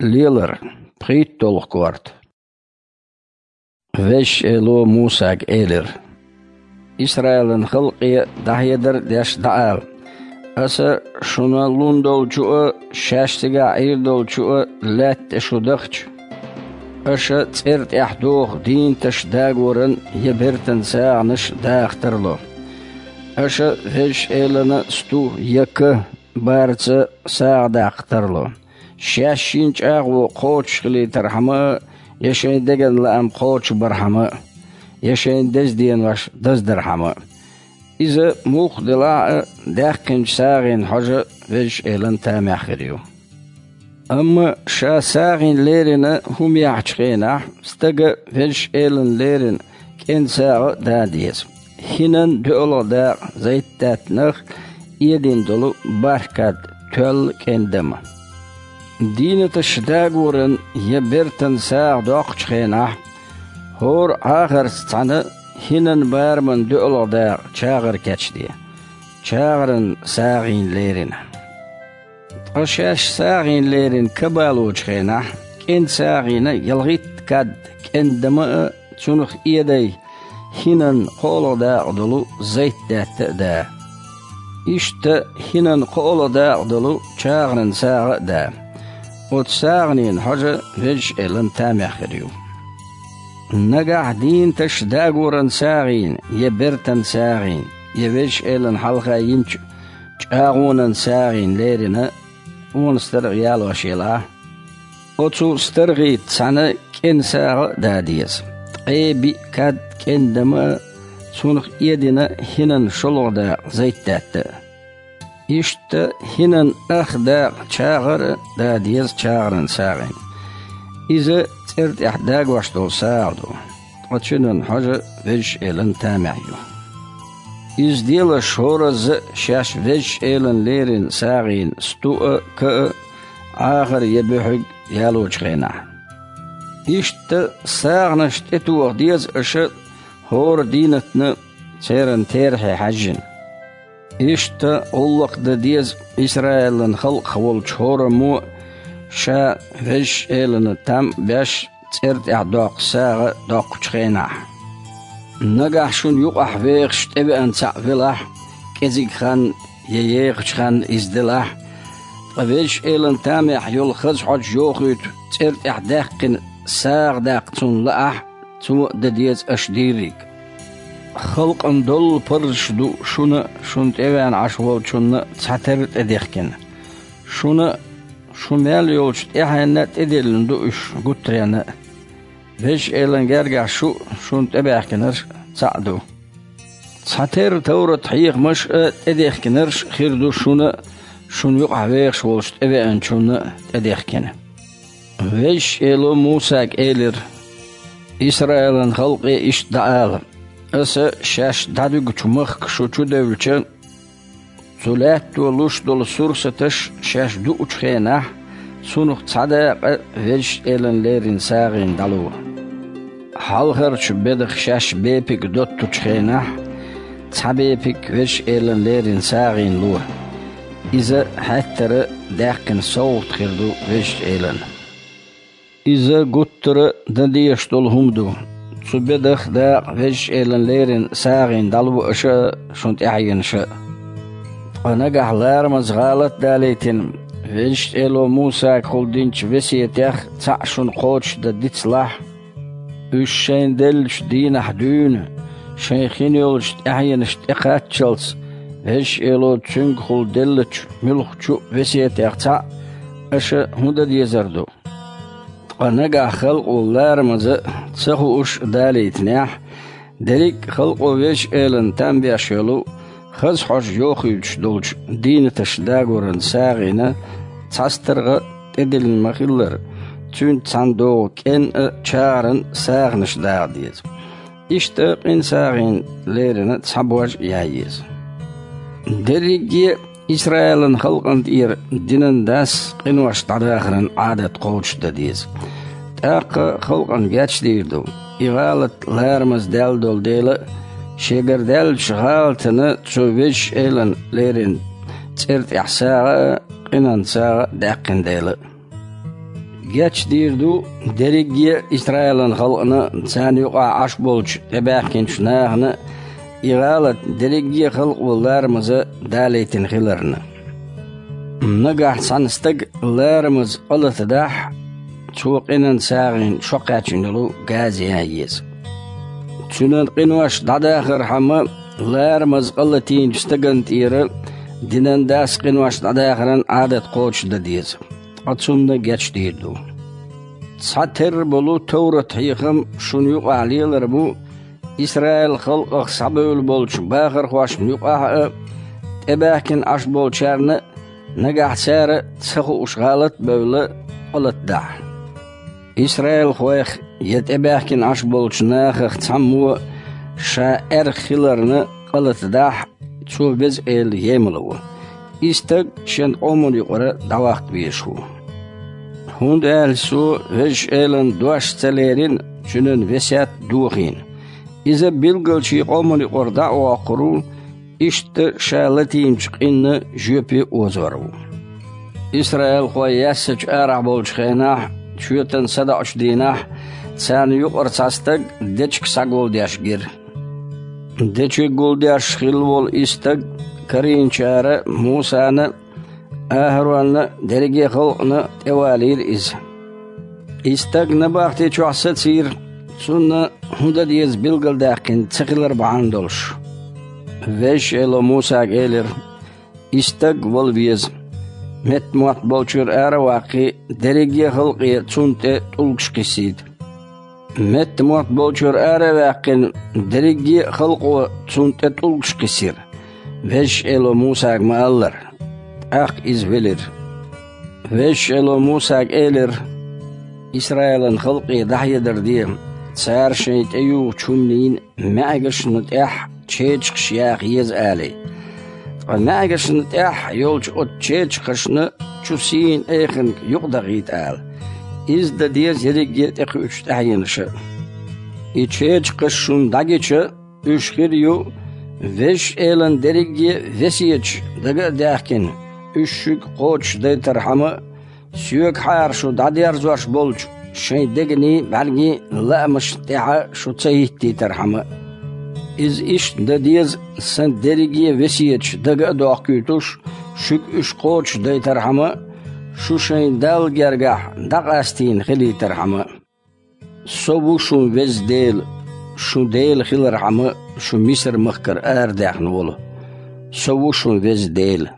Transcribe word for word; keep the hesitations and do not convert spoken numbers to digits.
Лелар, пхийттолгӀа корта. Везачу Эло Мусага элира: «Исраилан халкъе дӀахьедар а деш дӀаала: „Аса шуна лун долчу а, шаьш цигахь Ӏийр долчу а лаьтта тӀе шу дахча, аша цӀера тӀехь доху дийнаташ дагоран я бертан сагӀанаш даха тарло. Аша Везачу Элана сту я ка барца сагӀа даккха тарло. Шаьш шина чӀагӀо кхочуш хилийтархьама а, я шайн деган лаам кхочушбархьама а, я шайн деза денош даздархьама а. Иза муха делахь а, даьккхинчу сагӀина хьожа Везачу Элана тамехь хир ю“». Амма ша сагӀина лерина хӀума яхьачу хенахь, стага Везачу Элана лерина кӀен сагӀа а да деза, хӀинан доьалгӀа дакъа зайтдаьттанах эдина долу бархӀ кад тоьлла кӀен дама. Дийнаташ дагоран я бертан сагӀа доккхучу хенахь, хӀора Ӏахарца цхьаьна хӀинан бараман доьалгӀа дакъа чагӀар кечде, чагӀаран сагӀина лерина. Ткъа шаьш сагӀина лерина ка балочу хенахь, кӀен сагӀина ялхитта кад кӀен дама а, цунах эдай хӀинан кхоалгӀа дакъа долу зайтдаьтта а да. Иштта хӀинан кхоалгӀа дакъа долу чагӀаран сагӀа а да. Оцу сагӀанийн хьожа Везачу Элана тамехь хир ю. Нагахь дийнаташ дагоран сагӀина, я бертан сагӀина, я Везачу Элана хьалха йинчу чӀагӀонан сагӀина лерина, онан старгӀа ялош елахь, оцу старгӀица цхьаьна кӀен сагӀа а да деза, ткъе биъ кад кӀен дама а, цунах эдина хӀинан шолгӀа дакъа зайтдаьтта а. Иштта хӀинан ах дакъа чагӀар а да деза чагӀаран сагӀина. Иза цӀера тӀехь дагош долу сагӀа ду, ткъа цуьнан хьожа Везачу Элана тамехь ю. Иза делаш хӀоразза а шаьш Везачу Элана лерина сагӀина сту а, ка а, Ӏахар я буьхьиг ялочу хенахь. Иштта сагӀанаш тӀетоха деза аша хӀора дийнатна церан терахье хьаьжжина. Иштта гӀуллакх дан деза Исраилан халкъах волчу хӀораммо а, ша Везачу Элана там а беш, цӀера тӀехь доккху сагӀа доккхучу хенахь. Нагахь шуна юкъахь вехаш тӀевеана цхьаъ велахь, кӀезиг хан я ехачу хан иза делахь, ткъа Везачу Элана тамехь йолу хаза хьожа йохуьйту цӀера тӀехь даьккхина сагӀа даккха цунна лаахь, цо а дан деза аша дийриг. Халкъана доллу парзаш ду шуна а, шуна тӀевеана Ӏаш волчунна а цхьатерра тӀедехкина. Шуна а, шу мел йолчу тӀаьхьенна а тӀедиллина ду уьш гуттаренна а. Везачу Элана гергахь шу а, шуна тӀебаьхкинарш а цхьаъ ду. Цхьатерра товрат-хьехамаш а, тӀедехкинарш а хир ду шуна а, шуна юкъахь вехаш волчу тӀевеанчунна а тӀедехкина. Везачу Эло Мусага элира: «Исраилан халкъе иштта дӀаала: „Аса шаьш дӀадуьгучу махка шу чудевлча, цу лаьтто луш долу сурсаташ шаьш дуучу хенахь, цунах цхьа дакъа Везачу Элана леррина сагӀина дӀало. Хьалхарчу бедах шаьш бепиг доттучу хенахь, цхьа бепиг Везачу Элана леррина сагӀина ло. Иза хьаьттара даьккхина совгӀат хир ду Везачу Элана“». Иза гуттара а дан дезаш долу хӀума ду. Цу бедах дакъа Везачу Элана леррина сагӀина дӀало аша а, шуна тӀаьхьенаш а. Ткъа нагахь ларамаза гӀалат а далийтина, Везачу Эло Мусагахула динчу весетех цхьаъ шуна кхочушдан дицлахь, уьш шайна деллачу дийнахь дуьйна, шайн хин йолчу тӀаьхьенашна тӀекхаччалц, Везачу Эло цуьнгахула деллачу муьлххачу а весетех цхьаъ аша хӀун дан дезар ду? Ткъа нагахь халкъо ларамаза а, ца хууш а далийтинехь, дерриг а халкъо Везачу Элана там беш йолу, хаза хьожа йохуьйтуш долчу дийнаташ дагоран сагӀина цхьа старгӀа а тӀедиллина ма-хиллара, цуьнца цхьаьна догӀу кӀен а, чагӀаран а сагӀанаш даха деза. Иштта къин сагӀина леррина цхьа бож а ян еза. Дерриге а Исраилан халкъана тӀера динан дас къинош дӀадахаран Ӏадат кхочушдан деза. ТӀаккха халкъана гечдийр ду, и гӀалат ларамаза даьлла долу дела а, шегара даьллачу гӀалатана цо Везачу Элана леррина цӀера тӀехь сагӀа а, къинан сагӀа а даьккхина дела а. Гечдийр ду дерриге а Исраилан халкъана, царна юкъахь Ӏаш болчу тӀебаьхкинчу нахана и гӀалат дерриге а халкъо ларамаза далийтина хиларна. Нагахь цхьана стаг ларамаза къа латадахь, цо къинан сагӀина шо кхаьчна йолу газа ян еза. Цуьнан къинош дӀадахархьама, ларамаза къа латийначу стагана тӀера динан дас къинош дӀадахаран Ӏадат кхочушдан деза, ткъа цунна гечдийр ду. Цхьатерра болу товрат-хьехам шуна юкъахь лелар бу, Исраил халкъах схьабевлла болчу бахархошна юкъахь а, тӀебаьхкина Ӏаш болчарна а, нагахь цара ца хууш гӀалат а бевлла, къа латадахь. Исраилхойх я тӀебаьхкина Ӏаш болчу нахах цхьаммо ша аьрха хиларна къа латадахь, цо Веза Эла емал ву. И стаг шен къоман юкъара дӀаваккха везаш ву. ХӀунда аьлча цо Везачу Элан дош ца лерина, Цуьнан весет дохийна. Иза билггал шен къоман юкъара дӀа а воккхур ву, иштта ша латийначу къинна жоьпе а озор ву. Исраилхой яьссачу арахь болчу хенахь, шоьтан садаӀучу дийнахь, царна юкъара цхьа стаг дечиг схьагулдеш гира. Дечиг гулдеш хилла волу и стаг карийначара Мусана а, АхӀаронна а, дерриге а халкъана а тӀевалийра иза. И стаг набахти чохь сацийра, цунна хӀун дан деза билгалдаьккхина ца хилар бахьана долуш. Везачу Эло Мусага элира: «И стаг вала веза. Меттамотт болчуьра ара а ваккхий, дерриге а халкъе цунна тӀе тӀулгаш кхиссийта». Меттамотт болчуьра ара а ваьккхина, дерриге а халкъо цунна тӀе тӀулгаш кхиссира, Везачу Эло Мусага ма-аллара. ТӀаккха иза велира. Везачу Эло Мусага элира: «Исраилан халкъе дӀахьедар де, цара шайн тӀеюхучу хӀуманийн маьӀгашна тӀехь чечакхаш яха еза алий. Ткъа маьӀгашна тӀехь йолчу оцу чечакхашна чу сийна айханга юкъадахийта ала. Иза дан деза ерриге а тӀекхуьучу тӀаьхьенаша. И чечакхаш шуна дӀагича, уьш хир ю, Везачу Элан дерриге а весеташ дага а даьхкина, уьш шуьга кхочушдайтархьама а, соьгахьара шу дӀадерзош болчу шайн дегнийн, бӀаьргийн лаамашна тӀехь шу ца хӀиттийтархьама а. Иза иштта дан деза, сан дерриге а весеташ дага а дохкуьйтуш, шуьга уьш кхочушдайтархьама а, шу шайн Далла гергахь дӀакъастийна хилийтархьама а. Со ву шун Веза Дела, шун Дела хилархьама а шу Мисар-махкара арадаьхна волу. Со ву шун Веза Дела».